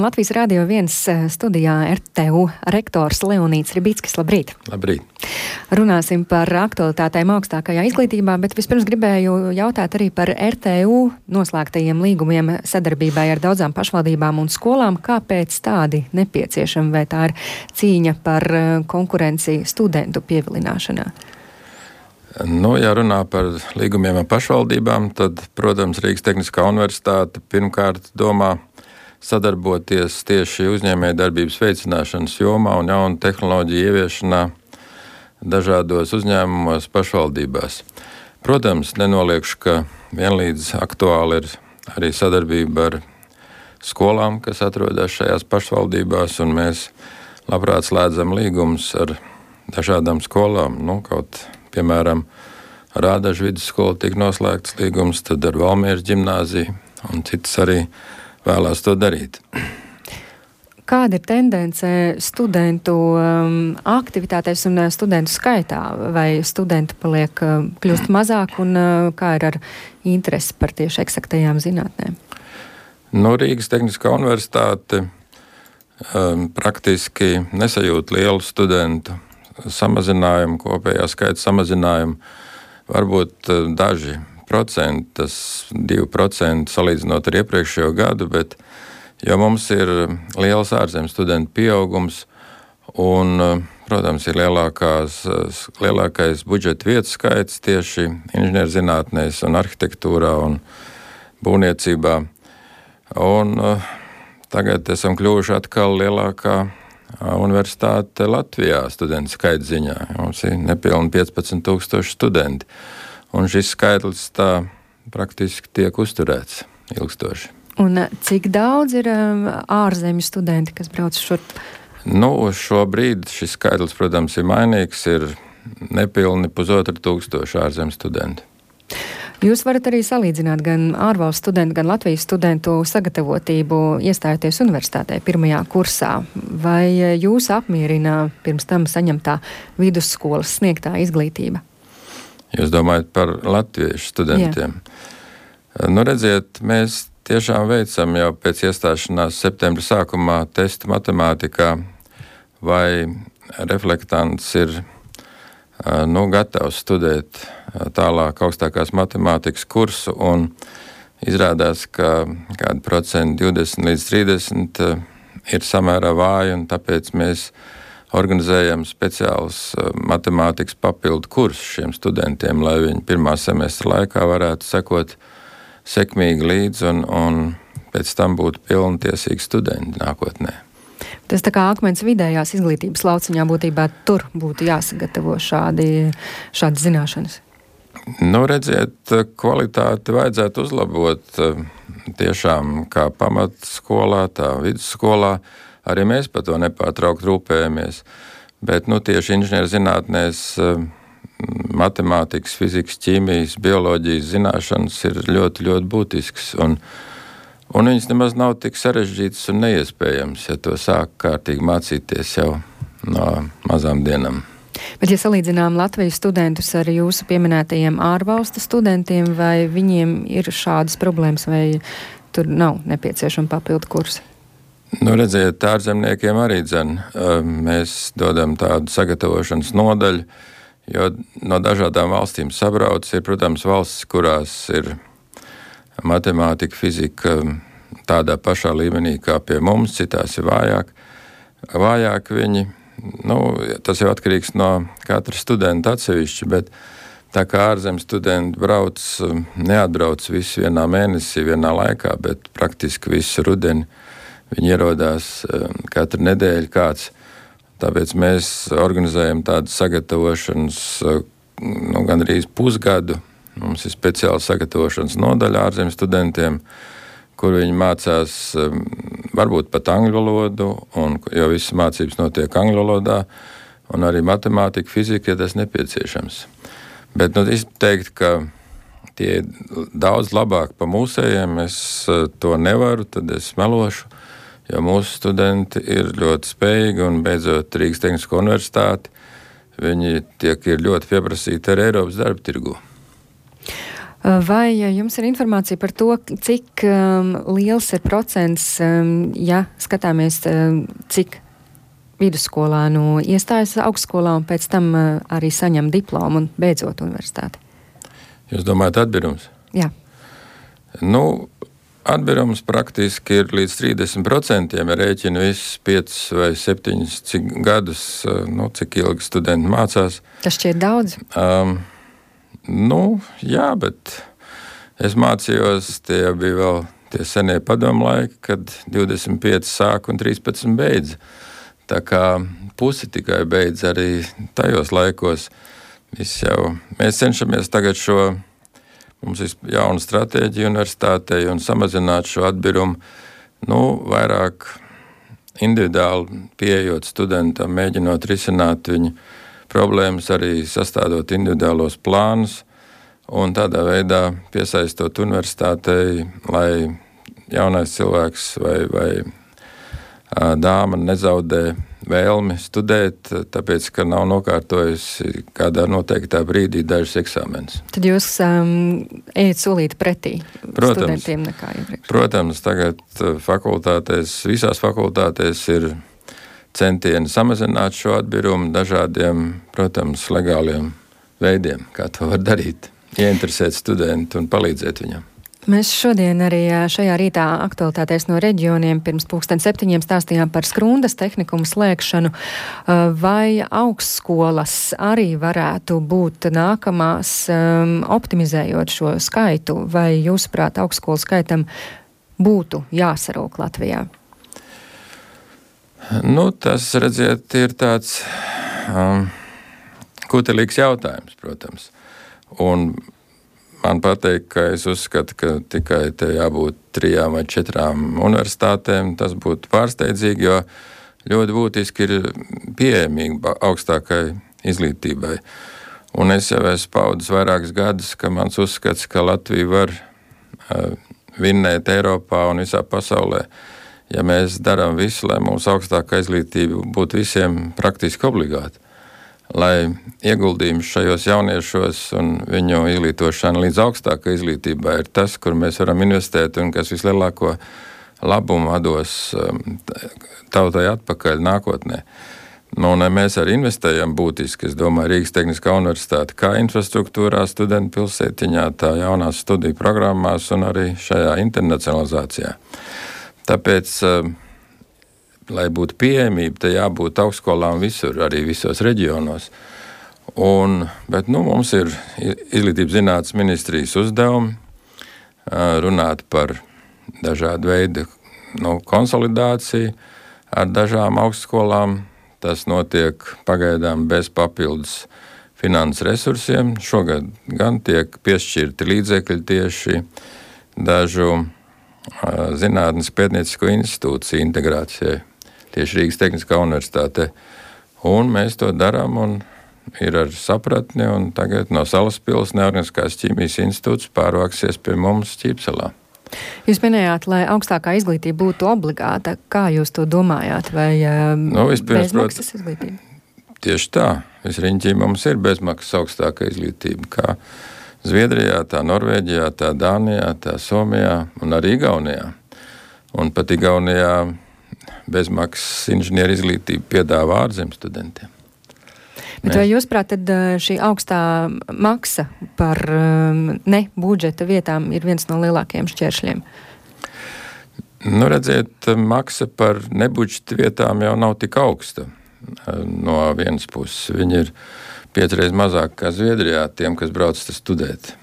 Latvijas Radio 1 studijā RTU rektors Leonīds Ribickis. Labrīt! Labrīt! Runāsim par aktualitātēm augstākajā izglītībā, bet vispirms gribēju jautāt arī par RTU noslēgtajiem līgumiem sadarbībai ar daudzām pašvaldībām un skolām. Kāpēc tādi nepieciešami, vai tā ir cīņa par konkurenci studentu pievilināšanā? Ja runā par līgumiem ar pašvaldībām, tad, protams, Rīgas Tehniskā universitāte pirmkārt domā sadarboties tieši uzņēmējdarbības veicināšanas jomā un jaunu tehnoloģiju ieviešanā dažādos uzņēmumos pašvaldībās. Protams, nenoliekšu, ka vienlīdz aktuāli ir arī sadarbība ar skolām, kas atrodas šajās pašvaldībās, un mēs labprāt slēdzam līgumus ar dažādām skolām. Piemēram, ar Ādažu vidusskolu tika noslēgts līgums, tad ar Valmieras ģimnāziju un citas arī vēlās to darīt. Kāda ir tendence studentu aktivitātēs un studentu skaitā? Vai studenti kļūst mazāk un kā ir ar interesi par tieši eksaktajām zinātnēm? Rīgas Tehniskā universitāte praktiski nesajūt lielu studentu samazinājumu, kopējā skaita samazinājumu. Varbūt daži procenti, tas 2% salīdzinot ar iepriekšējo gadu, bet jo mums ir liels ārzemju studentu pieaugums un, protams, ir lielākais budžeta vietu skaits tieši inženierzinātnēs un arhitektūrā un būvniecībā. Un tagad esam kļuvuši atkal lielākā universitāte Latvijā studentu skaita ziņā. Mums ir nepilni 15,000 studenti. Un šis skaitlis tā praktiski tiek uzturēts ilgstoši. Un cik daudz ir ārzemju studenti, kas brauc šurp? Šobrīd šis skaitlis, protams, ir mainīgs, ir nepilni 1,500 ārzemju studentu. Jūs varat arī salīdzināt gan ārvalstu studentu, gan Latvijas studentu sagatavotību iestājoties universitātē pirmajā kursā. Vai jūs apmierina pirms tam saņemtā vidusskolas sniegtā izglītība? Jūs domājat par latviešu studentiem? Jā. Redziet, mēs tiešām veicam jau pēc iestāšanās septembra sākumā testu matemātikā, vai reflektants ir gatavs studēt tālāk augstākās matemātikas kursu, un izrādās, ka kādi procenti 20 līdz 30 ir samērā vāji, un tāpēc mēs organizējam speciālus matemātikas papildu kursus šiem studentiem, lai viņi pirmā semestra laikā varētu sekot sekmīgi līdzi un pēc tam būtu pilntiesīgi studenti nākotnē. Tas tā kā Akmens vidējās izglītības lauciņā būtībā tur būtu jāsagatavo šādas zināšanas. Redziet, kvalitāti vajadzētu uzlabot tiešām kā pamatskolā, tā vidusskolā. Arī mēs par to nepārtraukt rūpējamies, bet tieši inženierzinātnēs matemātikas, fizikas, ķīmijas, bioloģijas zināšanas ir ļoti, ļoti būtisks, un viņas nemaz nav tik sarežģītas un neiespējams, ja to sāk kārtīgi mācīties jau no mazām dienām. Bet, ja salīdzinām Latvijas studentus ar jūsu pieminētajiem ārvalstu studentiem, vai viņiem ir šādas problēmas, vai tur nav nepieciešama papildu kursi? Redziet, ārzemniekiem arī mēs dodam tādu sagatavošanas nodaļu, jo no dažādām valstīm sabrauc. Ir, protams, valstis, kurās ir matemātika, fizika tādā pašā līmenī kā pie mums, citās ir vājāk viņi. Tas jau atkarīgs no katra studenta atsevišķi, bet tā kā ārzemju studenti neatbrauc visi vienā mēnesī, vienā laikā, bet praktiski visu rudeni viņi ierodās katru nedēļu kāds. Tāpēc mēs organizējam tādu sagatavošanas gandrīz pusgadu. Mums ir speciāla sagatavošanas nodaļa ārzemju studentiem, kur viņi mācās varbūt pat angļu valodu, jo visas mācības notiek angļu valodā, un arī matemātika, fizika, ja tas nepieciešams. Bet izteikt, ka tie ir daudz labāk pa mūsējiem, es to nevaru, tad es melošu. Jo mūsu studenti ir ļoti spējīgi, un beidzot Rīgas Tehnisko universitāti, viņi ir ļoti pieprasīti ar Eiropas darba tirgu. Vai jums ir informācija par to, cik liels ir procents, ja skatāmies, cik vidusskolānu iestājas augstskolā un pēc tam arī saņem diplomu un beidzot universitāti? Jūs domājat atbirums? Jā. Atbirums praktiski ir līdz 30%, ja rēķina visus 5 vai 7 gadus, cik ilgi studenti mācās. Tas šķiet daudz? Jā, bet es mācījos, tie bija vēl tie senie padomu laiki, kad 25 sāk un 13 beidz. Tā kā pusi tikai beidz arī tajos laikos. Mēs cenšamies tagad mums ir jauna stratēģija universitātei un samazināt šo atbirumu, vairāk individuāli pieejot studentam, mēģinot risināt viņu problēmas, arī sastādot individuālos plānus un tādā veidā piesaistot universitātei, lai jaunais cilvēks vai dāma nezaudē vēlmi studēt, tāpēc, ka nav nokārtojusi kādā noteiktā brīdī dažus eksāmenus. Tad jūs ejat solīt pretī studentiem nekā iepriekš? Protams, tagad visās fakultātēs ir centieni samazināt šo atbirumu dažādiem, protams, legāliem veidiem, kā to var darīt, ieinteresēt studentu un palīdzēt viņam. Mēs šodien arī šajā rītā aktualitātēs no reģioniem pirms 7:00 stāstījām par Skrundas tehnikumu slēgšanu. Vai augstskolas arī varētu būt nākamās, optimizējot šo skaitu, vai jūsuprāt augstskolu skaitam būtu jāsarūk Latvijā? Tas, redziet, ir tāds kutelīgs jautājums, protams. Un man pateikt, ka es uzskatu, ka tikai te jābūt 3 vai 4 universitātēm, tas būtu pārsteidzīgi, jo ļoti būtiski ir pieejamība augstākai izglītībai. Un es jau esmu paudis vairākus gadus, ka mans uzskats, ka Latvija var vinnēt Eiropā un visā pasaulē, ja mēs darām visu, lai mūsu augstākā izglītība būtu visiem praktiski obligāta. Lai ieguldījums šajos jauniešos un viņu izglītošana līdz augstākai izglītībai ir tas, kur mēs varam investēt un kas vislielāko labumu dos tautai atpakaļ nākotnē. Mēs arī investējam būtiski, es domāju, Rīgas Tehniskā universitāte kā infrastruktūrā, studentu pilsētiņā, tā jaunās studiju programmās un arī šajā internacionalizācijā. Tāpēc lai būtu pieejamība, te jābūt augstskolām visur, arī visos reģionos. Bet mums ir Izglītības zinātnes ministrijas uzdevumi runāt par dažādu veidu konsolidāciju ar dažām augstskolām. Tas notiek pagaidām bez papildus finanses resursiem. Šogad gan tiek piešķirti līdzekļi tieši dažu zinātnes pētniecisko institūciju integrācijai. Tieši Rīgas Tehniskā universitāte. Un mēs to darām un ir ar sapratni, un tagad no Salaspils Neorganiskās ķīmijas institūts pārvāksies pie mums Ķīpselā. Jūs minējāt, lai augstākā izglītība būtu obligāta. Kā jūs to domājāt? Vai bezmaksas izglītība? Tieši tā. Visriņķī mums ir bezmaksas augstākā izglītība. Kā Zviedrijā, tā Norvēģijā, tā Dānijā, tā Somijā un arī Igaunijā. Un pat Igaunijā bezmaksas inženieru izglītību piedāvā ārzemju studentiem. Bet vai jūs prāt, tad šī augstā maksa par ne budžeta vietām ir viens no lielākajiem šķēršļiem? Redziet, maksa par nebudžeta vietām jau nav tik augsta. No vienas puses viņi ir 5 reizes mazāk kā Zviedrijā tiem, kas brauc studēt.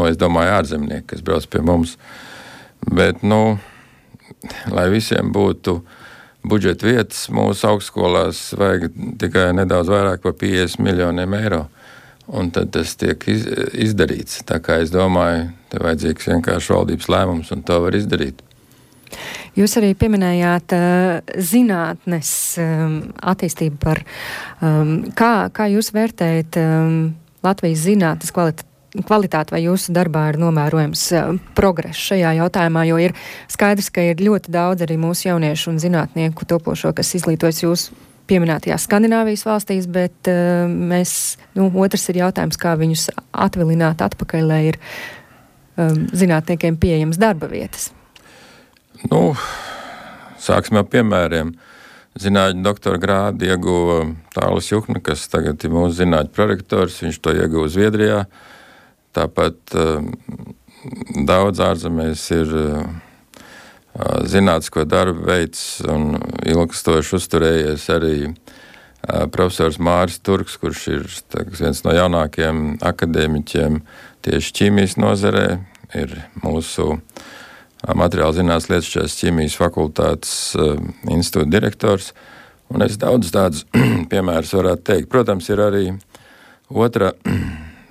Es domāju ārzemnieki, kas brauc pie mums. Bet, lai visiem būtu budžeta vietas, mūsu augstskolās vajag tikai nedaudz vairāk par 50 miljoniem eiro. Un tad tas tiek izdarīts. Tā kā es domāju, te vajadzīgs vienkārši valdības lēmums, un to var izdarīt. Jūs arī pieminējāt zinātnes attīstību par, kā jūs vērtējat Latvijas zinātnes kvalitāti, vai jūsu darbā ir novērojams progress šajā jautājumā, jo ir skaidrs, ka ir ļoti daudz arī mūsu jauniešu un zinātnieku topošo, kas izglītojas jūsu pieminētajās Skandināvijas valstīs, bet otrs ir jautājums, kā viņus atvilināt atpakaļ, lai ir zinātniekiem pieejamas darba vietas? Sāksim ar piemēriem. Zinātņu doktora grādu ieguva Tālis Juhna, kas tagad ir mūsu zinātņu prorektors. Viņš to ieguva Zviedrijā. Tāpat daudz ārzemēs ir zinātnisko darbu veids un ilgstoši uzturējies arī profesors Māris Turks, kurš ir viens no jaunākajiem akadēmiķiem tieši ķīmijas nozarē, ir mūsu materiāla zinātnes lietišķās ķīmijas fakultātes institūta direktors, un es daudz tādus piemērus varētu teikt. Protams, ir arī otra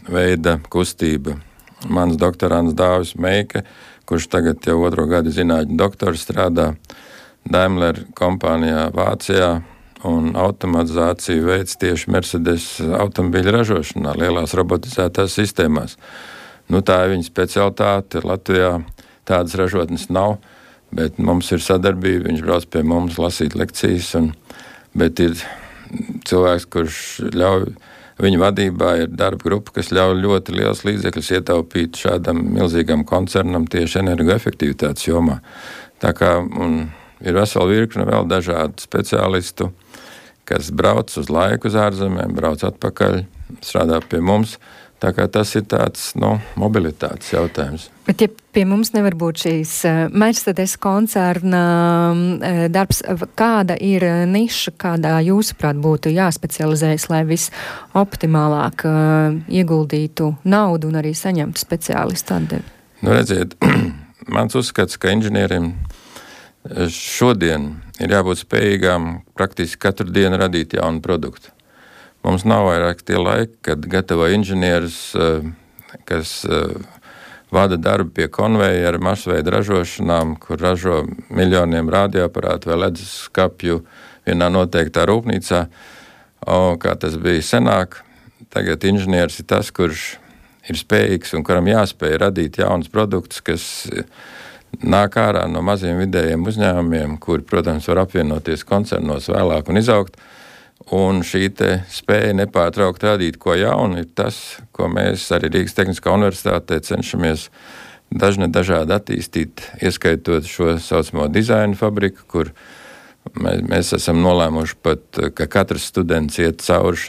veida kustība. Mans doktorants Dāvis Meike, kurš tagad jau 2. gadu zinātņu doktors strādā Daimler kompānijā Vācijā, un automatizāciju veids tieši Mercedes automobīļu ražošanā, lielās robotizētās sistēmās. Tā ir viņa specialitāte. Latvijā tādas ražotnes nav, bet mums ir sadarbība, viņš brauc pie mums lasīt lekcijas, bet ir cilvēks, kurš ļauj, viņa vadībā ir darba grupa, kas ļauj ļoti liels līdzekļus ietaupīt šādam milzīgam koncernam tieši energoefektivitātes jomā. Tā kā ir vesela virkne vēl dažādu speciālistu, kas brauc uz laiku uz ārzemēm, brauc atpakaļ, strādā pie mums. Tā kā tas ir tāds, mobilitātes jautājums. Bet ja pie mums nevar būt šīs Mercedes koncerna darbs, kāda ir niša, kādā jūsuprāt būtu jāspecializējas, lai visoptimālāk ieguldītu naudu un arī saņemtu speciālistu atdevi? Redziet, mans uzskats, ka inženierim šodien ir jābūt spējīgām praktiski katru dienu radīt jaunu produktu. Mums nav vairāk tie laiki, kad gatavo inženierus, kas vada darbu pie konveijera masveida ražošanām, kur ražo miljoniem radioaparātu vai ledus skapju vienā noteiktā rūpnīcā. Kā tas bija senāk, tagad inženieris ir tas, kurš ir spējīgs un kuram jāspēj radīt jaunus produktus, kas nāk ārā no maziem vidējiem uzņēmumiem, kuri, protams, var apvienoties koncernos vēlāk un izaugt. Un šī spēja nepārtraukt radīt ko jaunu ir tas, ko mēs arī Rīgas Tehniskā universitātē cenšamies dažādi attīstīt, ieskaitot šo saucamo dizaina fabriku, kur mēs esam nolēmuši pat, ka katrs students iet cauri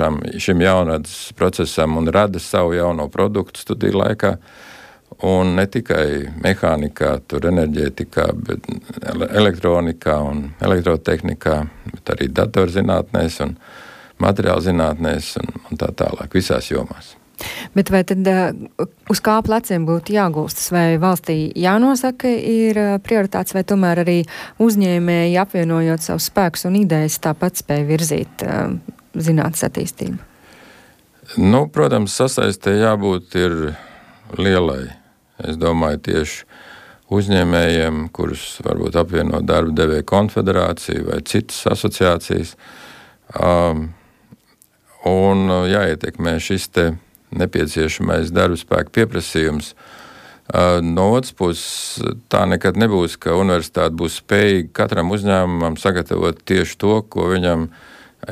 šim jaunradas procesam un rada savu jauno produktu studiju laikā. Un ne tikai mehānikā, enerģētikā, bet elektronikā un elektrotehnikā, bet arī datorzinātnēs un materiāla zinātnēs un tā tālāk, visās jomās. Bet vai tad uz kā pleciem būtu jāgulstas? Vai valstī jānosaka ir prioritāts, vai tomēr arī uzņēmēji apvienojot savus spēkus un idejas tāpat spēj virzīt zinātnes attīstību? Protams, sasaistē jābūt ir lielai. Es domāju, tieši uzņēmējiem, kurus varbūt apvieno darba devēja konfederācija vai citas asociācijas, un jāietekmē šis nepieciešamais darba spēka pieprasījums. No otras puses, tā nekad nebūs, ka universitāte būs spējīga katram uzņēmumam sagatavot tieši to, ko viņam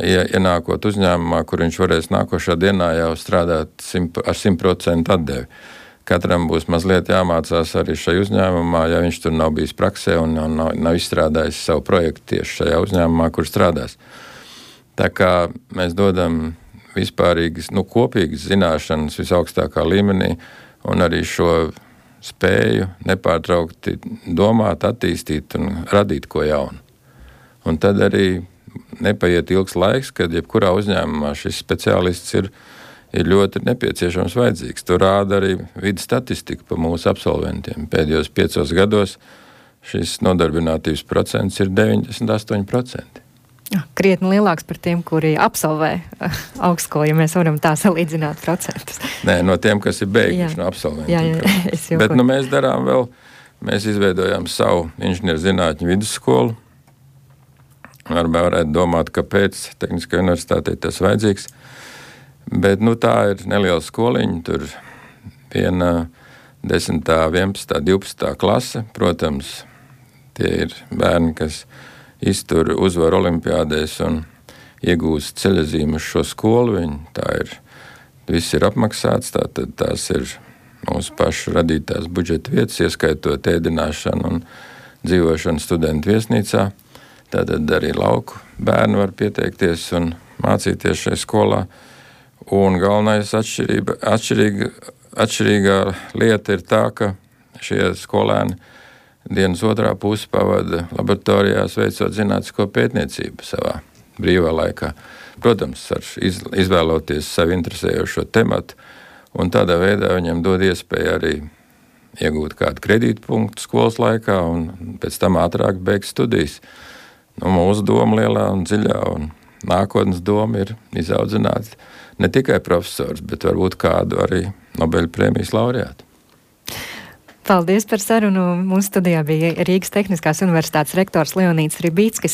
ienākot uzņēmumā, kur viņš varēs nākošā dienā jau strādāt ar 100% atdevi. Katram būs mazliet jāmācās arī šai uzņēmumā, ja viņš tur nav bijis praksē un nav izstrādājis savu projektu tieši šajā uzņēmumā, kur strādās. Tā kā mēs dodam vispārīgas, kopīgas zināšanas visaugstākā līmenī un arī šo spēju nepārtraukti domāt, attīstīt un radīt ko jaunu. Un tad arī nepaiet ilgs laiks, kad jebkurā uzņēmumā šis speciālists ir ļoti nepieciešams vajadzīgs. Tur rāda arī vidas statistika pa mūsu absolventiem. Pēdējos 5 gados šis nodarbinātības procents ir 98%. Krietni lielāks par tiem, kuri absolvē augstskolu, ja mēs varam tā salīdzināt procentus. Nē, no tiem, kas ir beiguši no absolventiem. Jā, bet mēs darām vēl, mēs izveidojām savu inženierzinātņu vidusskolu. Varētu domāt, kāpēc Tehniskajai universitātei tas vajadzīgs. Bet tā ir neliela skoliņa, tur viena 10., 11., 12. klase. Protams, tie ir bērni, kas iztur uzvaru olimpiādēs un iegūst ceļazīmu uz šo skolu. Viss ir apmaksāts, tātad tās ir mūsu pašu radītās budžeta vietas, ieskaitot ēdināšanu un dzīvošanu studentu viesnīcā. Tātad arī lauku bērni var pieteikties un mācīties šajā skolā. Un galvenais atšķirīgā lieta ir tā, ka šie skolēni dienas otrā pusi pavada laboratorijās veicot zinātnisko pētniecību savā brīvā laikā. Protams, ar izvēloties sevi interesējošo tematu, un tādā veidā viņam dod iespēju arī iegūt kādu kredītpunktu skolas laikā un pēc tam ātrāk beigt studijas. Mūsu doma lielā un dziļā un nākotnes doma ir izaudzināt ne tikai profesors, bet varbūt kādu arī Nobeļa prēmijas laureātu. Paldies par sarunu. Mūsu studijā bija Rīgas Tehniskās universitātes rektors Leonīds Ribīckis.